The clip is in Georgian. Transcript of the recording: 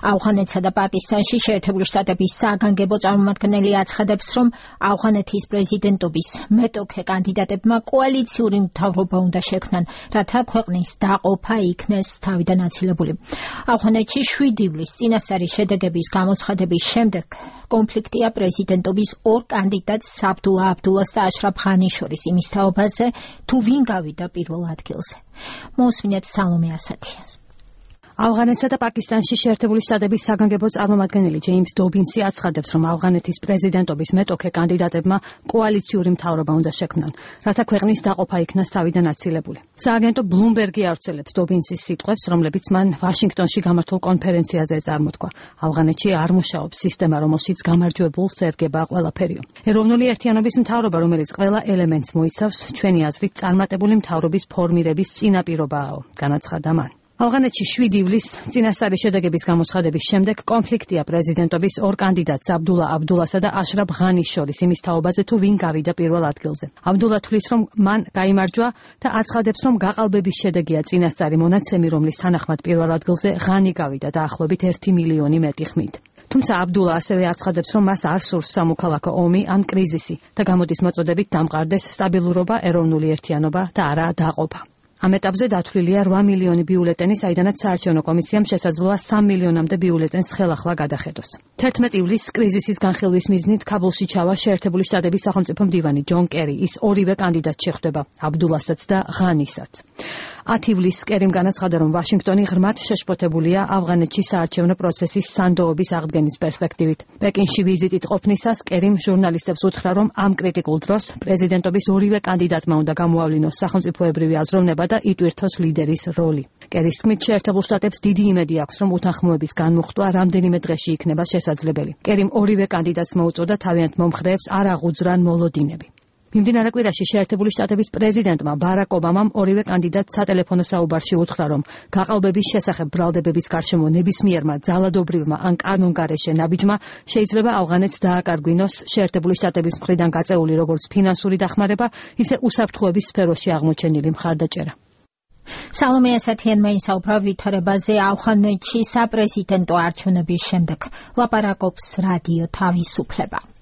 ავღანეთსა და პაკისტანში შეერთებული შტატების საგანგებო წარმომადგენელი აცხადებს, რომ ავღანეთის პრეზიდენტობის მეტოქე კანდიდატებმა კოალიციური მთავრობა უნდა შექმნან, რათა ქვეყნის დაყოფა იქნეს თავიდან აცილებული. ავღანეთში 7 ივლისს წინასწარი შედეგების გამოცხადების შემდეგ კონფლიქტია პრეზიდენტობის ორ კანდიდატს აბდულა აბდულას და აშრაფ ღანის შორის იმის თაობაზე, თუ ვინ გავიდა პირველ ადგილზე. მოусმინეთ სალომე ასათიას. ავღანეთსა და პაკისტანში შეერთებული შტატების საგანგებო წარმომადგენელი ჯეიმს დობინსი აცხადებს, რომ ავღანეთის პრეზიდენტობის მეტოქე კანდიდატებმა კოალიციური მთავრობა უნდა შექმნან, რათა ქვეყნის დაყოფა იქნას თავიდან აცილებული. სააგენტო ბლუმბერგი ავრცელებს დობინსის სიტყვებს, რომლებიც მან ვაშინგტონში გამართულ კონფერენციაზე წარმოთქვა. ავღანეთში არ მუშაობს სისტემა, რომელშიც გამარჯვებულს ერგება ყველაფერიო. ეროვნული ერთიანობის მთავრობა, რომელიც ყველა ელემენტს მოიცავს, ჩვენი აზრით წარმატებული მთავრობის ფორმირების წინაპირობაა, განაცხადა მან. ავღანეთში 7 ივლისს წინასწარი შედეგების გამოცხადების შემდეგ კონფლიქტია პრეზიდენტობის ორ კანდიდატს აბდულა აბდულასა და აშრაფ ღანის შორის იმის თაობაზე, თუ ვინ გავიდა პირველ ადგილზე. აბდულა თვლის, რომ მან გაიმარჯვა და აცხადებს, რომ გაყალბების შედეგია წინასწარი მონაცემი, რომლის თანახმად პირველ ადგილზე ღანი გავიდა დაახლოებით 1 მილიონი მეტი ხმით. თუმცა აბდულა ასევე აცხადებს, რომ მას არ სურს სამოქალაქო ომი ან კრიზისი და გამოდის მოწოდებით დამყარდეს სტაბილურობა, ეროვნული ერთიანობა და არა დაყოფა. ამ ეტაპზე დათვლილია 8 მილიონი ბიულეტენი, საიდანაც საარჩევნო კომისიამ შესაძლოა 3 მილიონამდე ბიულეტენს ხელახლა გადახედოს. 11 ივლისს კრიზისის განხილვის მიზნით ქაბულში ჩავა შეერთებული შტატების სახელმწიფო მდივანი ჯონ კერი. ის ორივე კანდიდატს შეხვდება, აბდულასაც და ღანისაც. 10 ივლისს კერიმ განაცხადა, რომ ვაშინგტონი ღრმად შეშფოთებულია ავღანეთში საარჩევნო პროცესის სანდოობის აღდგენის პერსპექტივით. პეკინში ვიზიტით ყოფნისას კერიმ ჟურნალისტებს უთხრა, რომ ამ კრიტიკულ დროს პრეზიდენტობის ორივე კანდიდატმა უნდა გამოავლინოს სახელმწიფოებრივი აზროვნება და იტვირთოს ლიდერის როლი. კერის თქმით, შეერთებულ შტატებს დიდი იმედი აქვს, რომ უთანხმოების განმუხტვა რამდენიმე დღეში იქნება შესაძლებელი. კერიმ ორივე კანდიდატს მოუწოდა თავიანთ მომხრეებს არ აღუძრან მოლოდინები. მიმდინარე კვირაში შეერთებული შტატების პრეზიდენტმა ბარაკ ობამამ ორივე კანდიდატს სატელეფონო საუბარში უთხრა, რომ გაყალბების შესახებ ბრალდებების გარშემო ნებისმიერმა ძალადობრივმა ან კანონგარეშე ნაბიჯმა შეიძლება ავღანეთს დააკარგვინოს შეერთებული შტატების მხრიდან გაწეული როგორც ფინანსური დახმარება, ისე უსაფრთხოების სფეროში აღმოჩენილი მხარდაჭერა. სალომე ასათიანმა ისაუბრა ვითარებაზე ავღანეთში საპრეზიდენტო არჩევნების შემდეგ. ლაპარაკობს რადიო თავისუფლება.